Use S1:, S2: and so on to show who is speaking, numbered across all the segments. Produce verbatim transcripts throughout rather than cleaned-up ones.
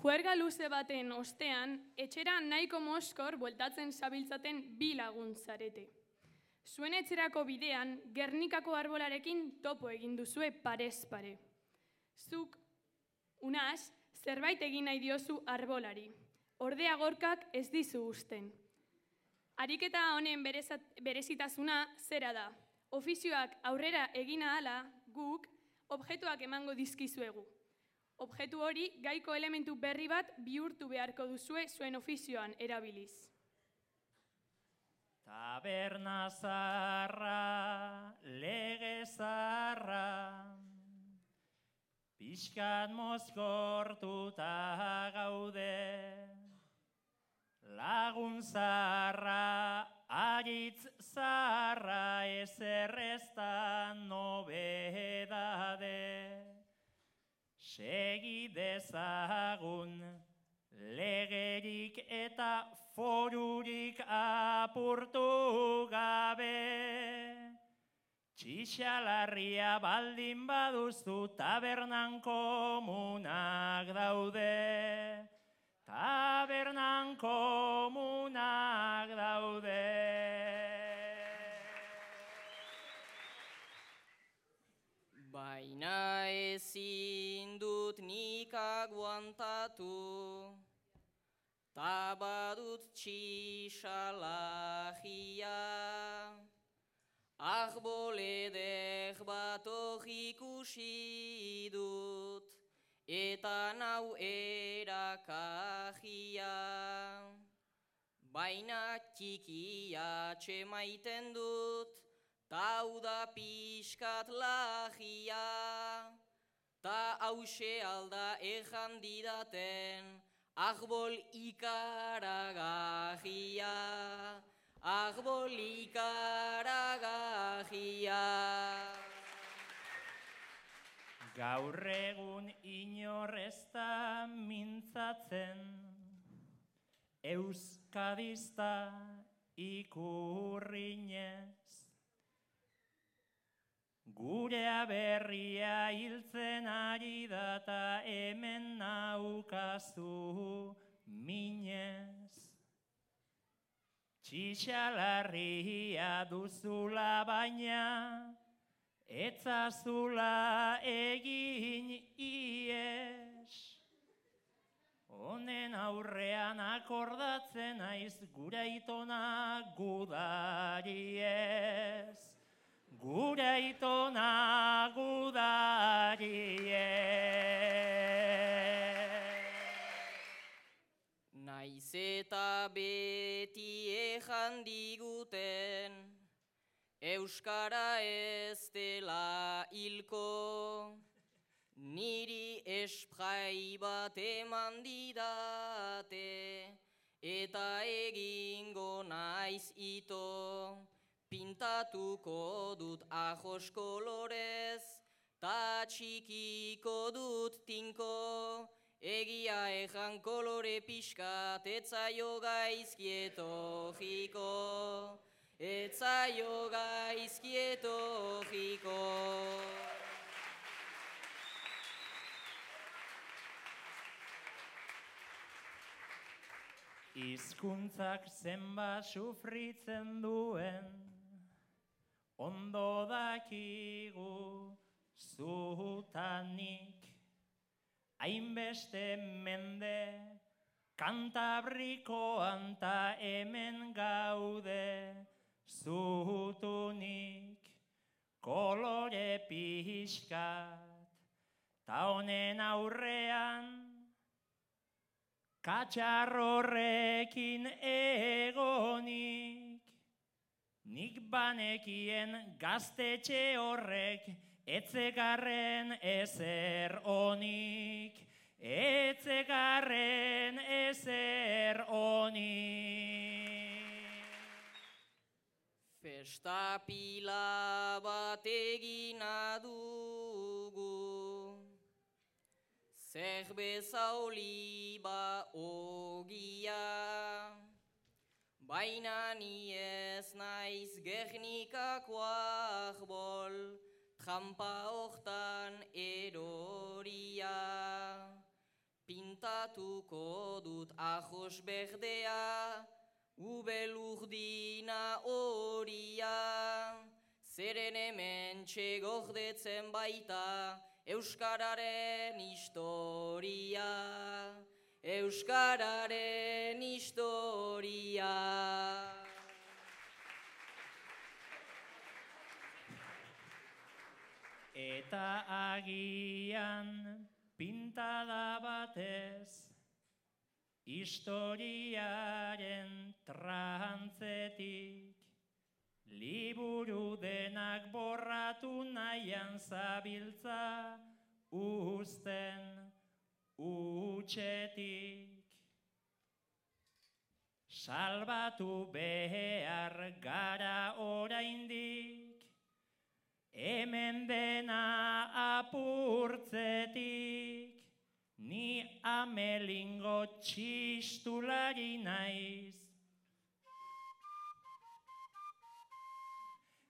S1: Juerga luze baten ostean, etxera nahiko moskor bueltatzen zabiltzaten bi lagun zarete. Zuen etxerako bidean, Gernikako arbolarekin topo egin duzue parez pare. Zuk, Unas, zerbait egin nahi diozu arbolari. Ordea Gorkak ez dizu usten. Ariketa honen berezitasuna zera da. Ofizioak aurrera egin ahala, guk objektuak emango dizkizuegu. Objektu hori gaiko elementu berri bat bihurtu beharko duzue zuen ofizioan erabiliz.
S2: Taberna zaharra, lege zaharra, pixkat mozkortuta gaude, lagun zaharra, aritz zaharra, ezer ez da nobedade. Segi dezagun, legerik eta forurik apurtu gabe. Txixalarria baldin baduzu tabernan komunak daude. Tabernan komunak daude.
S3: Baina ezin dut nik aguantatu, ta badut txixalagia. Arboledek bat ikusi dut, eta nau erakajia. Baina txikia txemaiten dut, tau da pixkat lagia, ta hause alda ejan didaten, arbol ikaragajia, arbol ikaragajia.
S2: Gaur egun inor ez da mintzatzen, euskadista ikurrinez. Gurea berria hiltzen ari data hemen naukazu minez. Txixalarria duzula baina, etzazula egin ies. Honen aurrean akordatzen naiz gure aitona gudari ez. Gure aitona gudari ez.
S3: Naiz eta beti ejan diguten, euskara ez dela hilko, niri esprai bat eman didate, eta egingo naiz ito. Pintatuko dut ajos kolorez, ta txikiko dut tinko, egia ejan kolore pixkat, etzaio gaizkieto etzaio gaizkieto jiko.
S2: Hizkuntzak zenbat sufritzen duen, ondo dakigu zutanik. Hainbeste mende Kantabrikoan ta hemen gaude zutunik. Kolore pixkat ta honen aurrean katxarrorrekin egonik. Nik banekien gaztetxe horrek etzegarren ezer onik, etzegarren ezer onik.
S3: Festa pila bat egina dugu, zerbeza oliba ogia, baina ni ez naiz Gernikako arbol, trampa hortan eroria. pintatuko dut ajos berdea, ubelurdina horia, zeren hemen txegordetzen baita Euskararen historia, Euskararen historia.
S2: Eta agian pintada batez, historiaren trantzetik, liburu denak borratu nahian zabiltza uzten utxetik. Salbatu behar gara oraindik, hemen dena apurtzetik, ni amelingo txistulari naiz.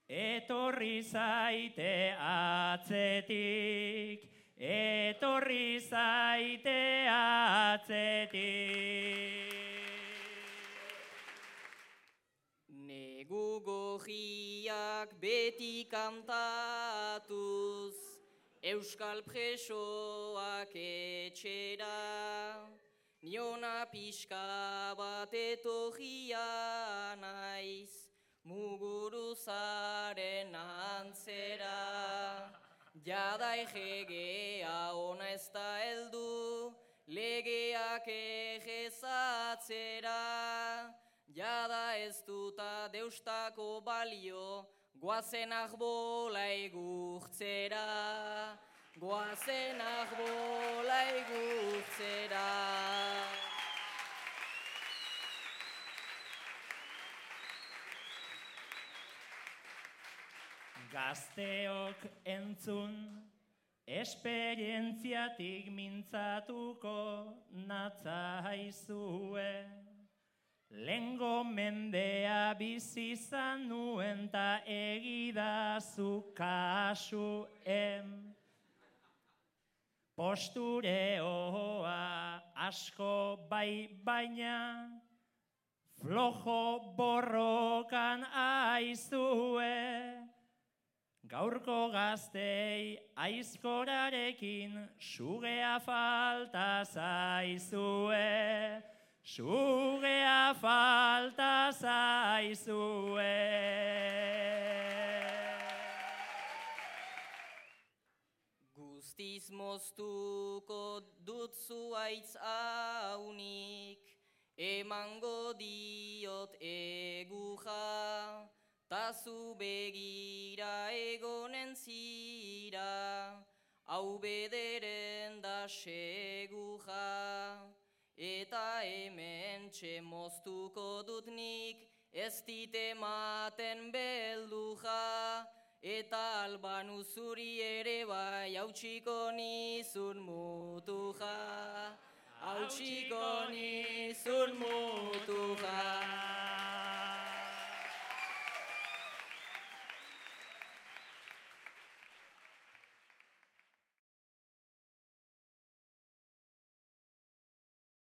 S2: Etorri zaite atzetik, etorri zaite atzetik.
S3: Negu gorriak beti kantatuz, Euskal presoak etxera, niona pixka bat etorria naiz, Muguruzaren antzera. Jada egegea ona ez da heldu, legeak egezatzera. Jada ez duta deustako balio, goazen ahbola egurtzera. Goazen ahbola egurtzera.
S2: Gazteok entzun, esperientziatik mintzatuko natzaizue. Lengo mendea bizi izan nuen ta egidazu kasuen. Postureoa asko bai baina, flojo borrokan aizue. Gaurko gaztei aizkorarekin sugea falta zaizue, sugea falta zaizue.
S3: Guztiz moztuko dut zuaitz haunik, emango diot egurra, ta zu begira egonen zira, hau bederen da segurra. Eta hemen txemoztuko dut nik, ez dit ematen beldurra, eta Albanu zuri ere bai hautsiko nizun muturra, hautsiko nizun muturra.